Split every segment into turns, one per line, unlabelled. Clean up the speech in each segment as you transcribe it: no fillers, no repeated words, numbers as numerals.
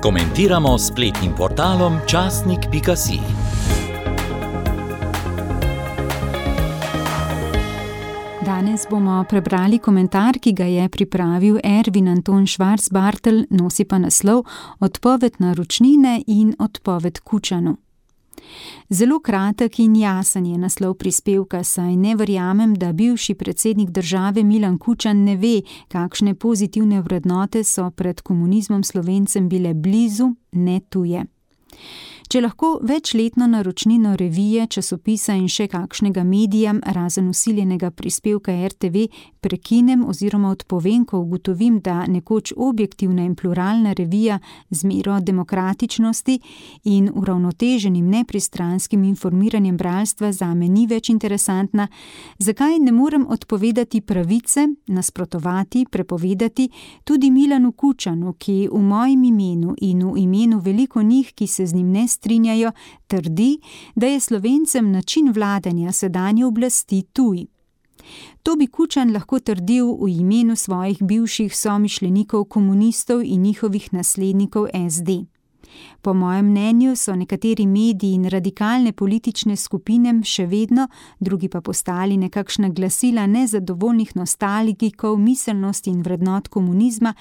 Komentiramo s spletnim portalom časnik.si.
Danes bomo prebrali komentar, ki ga je pripravil Ervin Anton Švarc-Bartelj, nosi pa naslov Odpoved naročnine in odpoved Kučanu. Zelo kratek in jasen je naslov prispevka, saj ne verjamem, da bivši predsednik države Milan Kučan ne ve, kakšne pozitivne vrednote so pred komunizmom Slovencem bile blizu, ne tuje. Če lahko večletno naročnino revije, časopisa in še kakšnega medija, razen vsiljenega prispevka RTV, prekinem oziroma odpovem, ko ugotovim, da nekoč objektivna in pluralna revija z mero demokratičnosti in uravnoteženim nepristranskim informiranjem bralstva zame ni več interesantna, zakaj ne morem odpovedati pravice, nasprotovati, prepovedati tudi Milanu Kučanu, ki v mojem imenu in v imenu veliko njih, ki se z njim ne strinjajo, trdi, da je Slovencem način vladanja sedanje oblasti tuj. To bi Kučan lahko trdil v imenu svojih bivših somišljenikov komunistov in njihovih naslednikov SD. Po mojem mnenju so nekateri mediji in radikalne politične skupine še vedno, drugi pa postali nekakšna glasila nezadovoljnih nostalgikov miselnosti in vrednot komunizma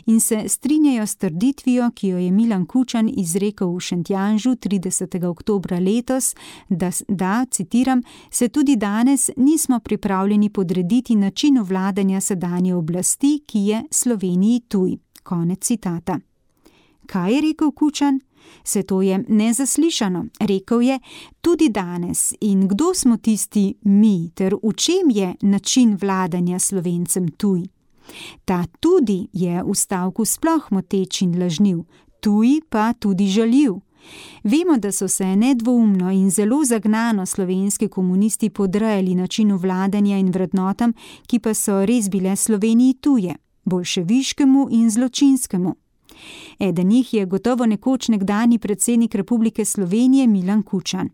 in se strinjajo s trditvijo, ki jo je Milan Kučan izrekel v Šentjanžu 30. oktobra letos, da, citiram, se tudi danes nismo pripravljeni podrediti načinu vladanja sedanje oblasti, ki je Sloveniji tuj. Konec citata. Kaj je rekel Kučan? Se to je nezaslišano. Rekel je, tudi danes. In kdo smo tisti mi, ter v čem je način vladanja Slovencem tuj? Ta tudi je v stavku sploh moteč in lažniv, tuj pa tudi žaljiv. Vemo, da so se nedvoumno in zelo zagnano slovenski komunisti podrejali načinu vladanja in vrednotam, ki pa so res bile Sloveniji tuje, boljševiškemu in zločinskemu. Eden njih je gotovo nekoč nekdanji predsednik Republike Slovenije Milan Kučan.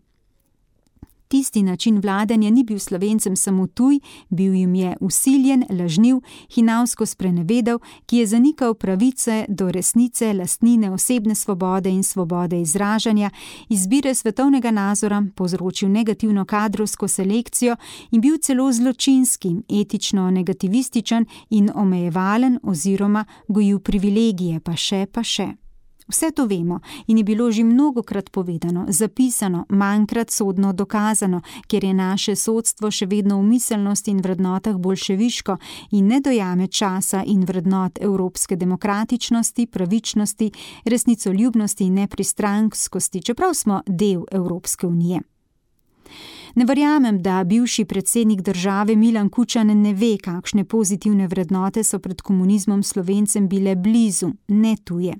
Tisti način vladanja ni bil Slovencem samo tuj, bil jim je vsiljen, lažniv, hinavsko sprenevedal, ki je zanikal pravice do resnice, lastnine, osebne svobode in svobode izražanja, izbire svetovnega nazora, povzročil negativno kadrovsko selekcijo in bil celo zločinski, etično negativističen in omejevalen oziroma gojil privilegije, pa še. Vse to vemo in je bilo že mnogokrat povedano, zapisano, manjkrat sodno dokazano, ker je naše sodstvo še vedno v miselnosti in vrednotah boljševiško in ne dojame časa in vrednot evropske demokratičnosti, pravičnosti, resnicoljubnosti in nepristranskosti, čeprav smo del Evropske unije. Ne verjamem, da bivši predsednik države Milan Kučan ne ve, kakšne pozitivne vrednote so pred komunizmom Slovencem bile blizu, ne tuje.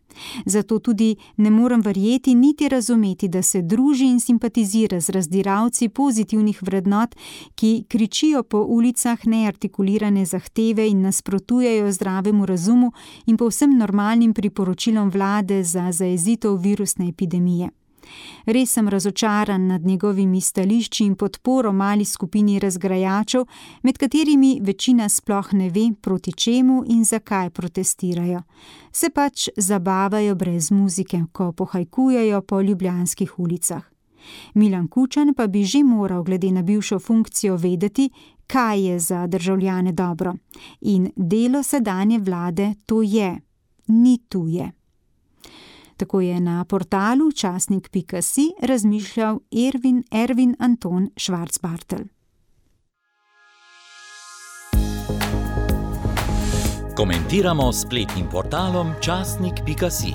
Zato tudi ne morem verjeti niti razumeti, da se druži in simpatizira z razdiralci pozitivnih vrednot, ki kričijo po ulicah neartikulirane zahteve in nasprotujejo zdravemu razumu in povsem normalnim priporočilom vlade za zajezitev virusne epidemije. Res sem razočaran nad njegovimi stališči in podporo mali skupini razgrajačev, med katerimi večina sploh ne ve, proti čemu in zakaj protestirajo. Se pač zabavajo brez muzike, ko pohajkujejo po ljubljanskih ulicah. Milan Kučan pa bi že moral glede na bivšo funkcijo vedeti, kaj je za državljane dobro. In delo sedanje vlade to je, ni tuje. Tako je na portalu časnik.si razmišljal Ervin Anton Švarc-Bartelj.
Komentiramo s spletnim portalom časnik.si.